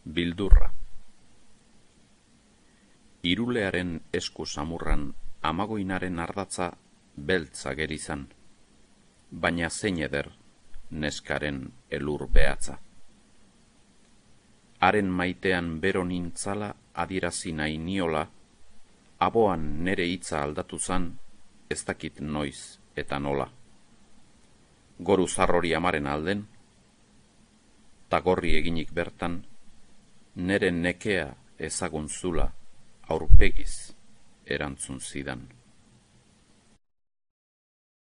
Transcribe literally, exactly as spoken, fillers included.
Bildurra. Irulearen esku samurran amagoinaren ardatza beltza gerizan, baina zein eder neskaren elur behatza. Haren maitean bero nintzala adierazi nahi niola, aboan nere hitza aldatu zan, ez dakit noiz eta nola. Goru zarrori amaren alden, tagorri eginik bertan, nere nekea ezagun zula aurpegiz erantzun zidan.